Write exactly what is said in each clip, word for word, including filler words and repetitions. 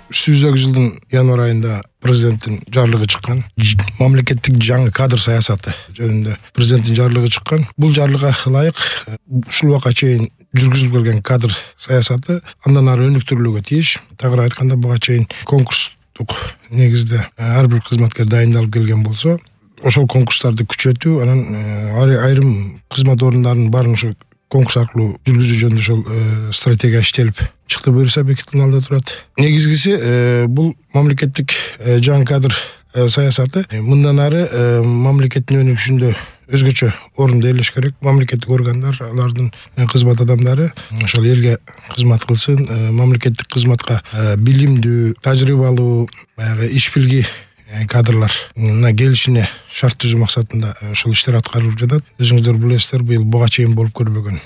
Сүүздөгү жылдын январь айында президенттин жарлыгы чыккан. Мамлекеттик жаңы кадр саясаты жөнүндө президенттин жарлыгы чыккан. Бул жарлыга ылайык ушул убакка чейин жүргүзүлүп келген кадр саясаты андан ары өнүктүрүлүүгө тийиш. Тагыраак айтканда буга чейин конкурстук негизде ар бир кызматкер дайындалып келген болсо, ошол конкурстарды күчөтүү, анан айрым кызмат орундарынын баарын ошо конкурс аркылуу жүргүзүү жөнүндө ошол стратегия иштелип чыкты, буюрса бекитилген алда турат. Негизгиси бул мамлекеттик жаңы кадр саясаты мындан ары мамлекеттин өнүгүшүндө өзгөчө орунду ээлеш керек. Мамлекеттик органдар, алардын кызмат адамдары ошол элге кызмат кылсын, мамлекеттик кызматка билимдүү, тажрыйбалуу, баягы иш билги кадрларына келишине шарт түзүү максатында ошол иштер аткарылып жатат. Өзүңүздөр билесиздер, быйыл буга чейин болуп көрбөгөн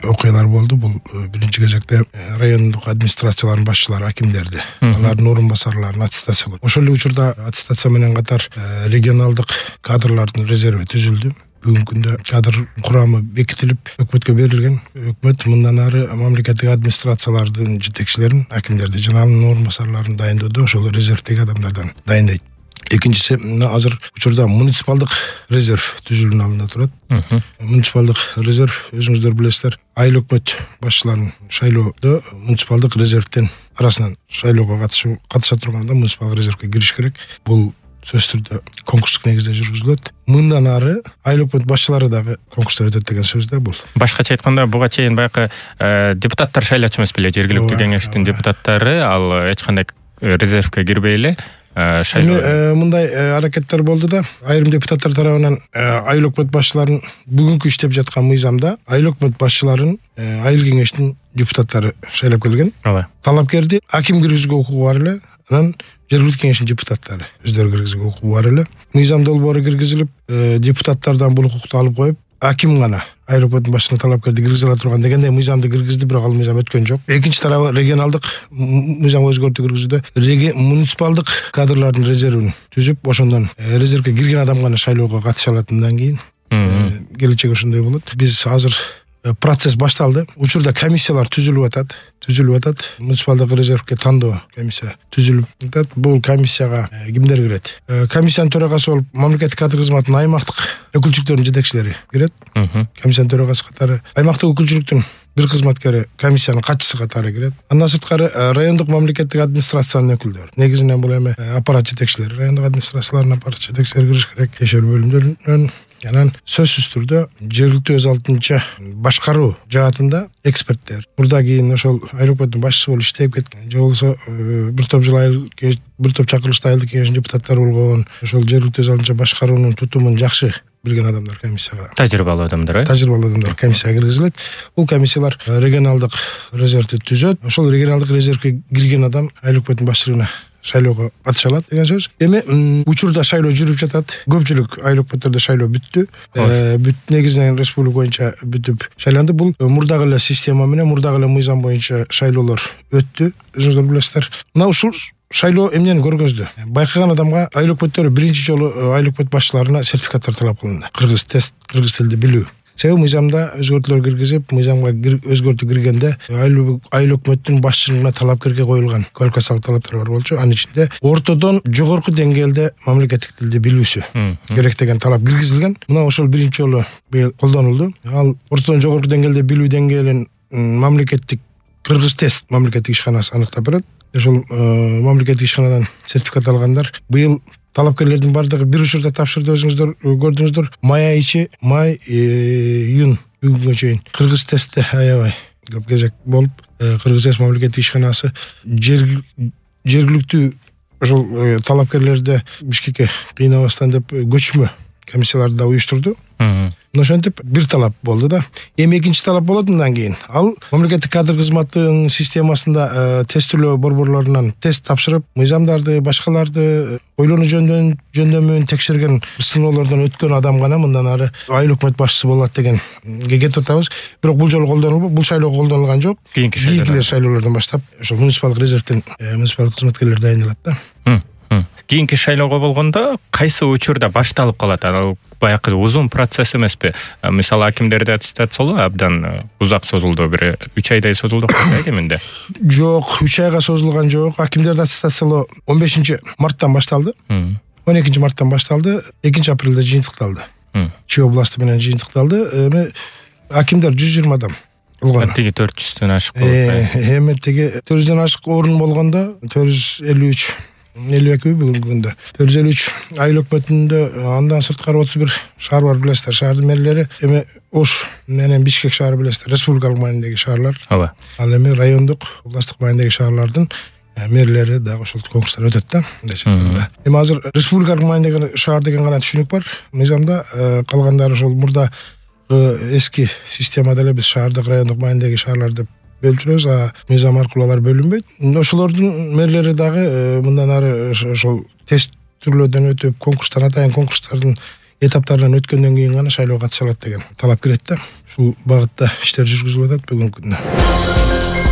окуялар болду. Бул биринчи кезекте райондук администрациялардын башчылары, акимдерди, алардын орун басарларын аттестациялоо. Ошол эле учурда аттестация менен катар регионалдык кадрлардын резерви түзүлдү. Бүгүнкү күндө кадр курамы бекитилип, өкмөткө берилген. Өкмөт мындан ары мамлекеттик администрациялардын жетекчилерин, акимдерди жана анын орун басарларын дайындоодо ошол резервдеги адамдардан дайындайт. Экинчиси, азыр учурда муниципалдык резерв түзүлүүнүн алдында турат. Муниципалдык резерв, өзүңүздөр билесиздер, айыл өкмөт башчыларын шайлоодо муниципалдык резервден арасынан шайлоого катышуу катыша турганда муниципалдык резервге кириш керек. Бул сөзсүз түрдө конкурстук негизде жүргүзүлөт. Мындан ары айыл өкмөт башчылары дагы конкурстар өтөт деген сөз да бул. Башкача айтканда, буга чейин баягы депутаттар шайлачу эмес беле, жергиликтүү кеңештин депутаттары, ал эч кандай резервге кирбей эле шайлоо. Мындай аракеттер болду да, айрым депутаттар тарабынан айыл өкмөт башчыларын бүгүнкү иштеп жаткан мыйзамда айыл өкмөт башчыларын айыл кеңештин депутаттары шайлап келген. Талапкерди аким киргизүүгө укугу бар эле, анан жергиликтүү кеңештин депутаттары өздөрү киргизүүгө укугу бар эле. Мыйзам долбоору киргизилип, депутаттардан бул укукту алып коюп, аким гана айыл өкмөттүн башчылыгына талапкерди киргизе ала турган дегендей мыйзамды киргизди, бирок ал мыйзам өткөн жок. Экинчи тарабы регионалдык мыйзамга өзгөртүү киргизүүдө муниципалдык кадрлардын резервин түзүп, ошондон резервге кирген адам гана шайлоого катыша алат. Мындан кийин келечек ошондой болот. Биз азыр процесс башталды. Учурда комиссиялар түзүлүп атат, түзүлүп атат. Муниципалдык резервге тандоо комиссия түзүлүп атат. Бул комиссияга кимдер кирет? Комиссиянын төрагасы болуп, мамлекеттик кадр кызматынын аймактык өкүлчүлүктөрүнүн жетекчилери кирет. Комиссиянын төрагасы катары, аймактык өкүлчүлүктүн бир кызматкери комиссиянын катчысы катары кирет. Андан сырткары райондук мамлекеттик администрациянын өкүлдөрү. Негизинен бул эми аппарат жетекчилери, райондук администрациялардын аппарат жетекчилери кириш керек. Кешер бөлүмдөрүнөн анан сөзсүз түрдө жергиликтүү өз алдынча башкаруу жаатында эксперттер, мурда кийин ошол айыл өкмөттүн башчысы болуп иштеп кеткен, же болбосо бир топ жыл айыл бир топ чакырылышта айылдык кеңештин депутаттары болгон, ошол жергиликтүү өз алдынча башкаруунун тутумун жакшы билген адамдар комиссияга, тажрыйбалуу адамдар, э тажрыйбалуу адамдар комиссияга киргизилет. Бул комиссиялар регионалдык резервди түзөт. Ошол регионалдык резервге кирген адам айыл өкмөттүн башчылыгына шайлоого катыша алат деген сөз. Эми учурда шайлоо жүрүп жатат. Көпчүлүк айыл өкмөттөрдө шайлоо бүттү. Бүт негизинен республика боюнча бүтүп шайланды. Бул мурдагы эле система менен, мурдагы эле мыйзам боюнча шайлоолор өттү. Өзүңүздөр билесиздер. Мына ушул шайлоо эмнени көргөздү? Байкаган адамга айыл өкмөттөрү биринчи жолу айыл өкмөт башчыларына сертификаттар талап кылынды. Кыргыз тест, кыргыз тилди билүү. Себеби мыйзамда өзгөртүүлөр киргизип, мыйзамга өзгөртүү киргенде айыл өкмөттүн башчылыгына талапкерге коюлган квалификациялык талаптар бар болчу. Анын ичинде ортодон жогорку деңгээлде мамлекеттик тилди билүүсү керек деген талап киргизилген. Мына ошол биринчи жолу быйыл колдонулду. Ал ортодон жогорку деңгээлде билүү деңгээлин мамлекеттик кыргыз тест мамлекеттик ишканасы аныктап берет. Ошол мамлекеттик ишканадан сертификат алгандар быйыл талапкерлердин бардыгы бир учурда тапшырды. Өзүңүздөр көрдүңүздөр, май айы ичи, май, июнь бүгүнгө чейин кыргыз тестте аябай көп кезек болуп, кыргыз тест мамлекеттик ишканасы жергиликтүү ошол талапкерлерди Бишкекке кыйнабастан деп көчмө комиссияларды да уюштурду. Ошентип бир талап болду да. Эми экинчи талап болот мындан кийин. Ал мамлекеттик кадр кызматынын системасында тестилөө борборлорунан тест тапшырып, мыйзамдарды, башкаларды ойлонуу жөндөмүн жөндөмүн текшерген сыноолордон өткөн адам гана мындан ары айыл өкмөт башчысы болот деген кетип атабыз. Бирок бул жолу колдонулбу, бул шайлоо колдонулган жок. Кийинки шайлоолордон баштап ошол муниципалдык резервден муниципалдык кызматкерлер дайындалат да. Кийинки шайлоого болгондо кайсы учурда башталып калат? Анан баягы узун процесс эмеспи? Мисалы акимдерди аттестациялоо абдан узак созулду, бир үч айдай созулду го кеминде. Жок, үч айга созулган жок. Акимдерди аттестациялоо он бешинчи марттан башталды. он экинчи марттан башталды, экинчи апрелде жыйынтыкталды. Чүй областы менен жыйынтыкталды. Эми акимдер жүз жыйырма адам болгон. Тиги төрт жүздөн ашык болуп. Эми тиги төрт жүздөн ашык орун болгондо төрт жүз элүү үч элүү эки бүгүнкү күндө төрт жүз элүү үч айыл өкмөтүндө андан сырткары отуз бир шаар бар билесиздер. Шаардын мэрлери эми Ош менен Бишкек шаары билесиздер, республикалык маанидеги шаарлар. Ооба. Ал эми райондук, областтык маанидеги шаарлардын мэрлери дагы ошол конкурстар өтөт да. Эми азыр республикалык маанидеги шаар деген гана түшүнүк бар мыйзамда, калгандары ошол мурда эски системада эле биз шаардык, райондук маанидеги шаарлар деп бөлчүбүз, а мыйзам аркылуу алар бөлүнбөйт. Ошолордун мэрлери дагы мындан ары ошол тест түрлөрдөн өтүп, конкурстан атайын конкурстардын этаптарынан өткөндөн кийин гана шайлоого катыша алат деген талап кирет да. Ушул багытта иштер жүргүзүлүп атат бүгүнкү күндө.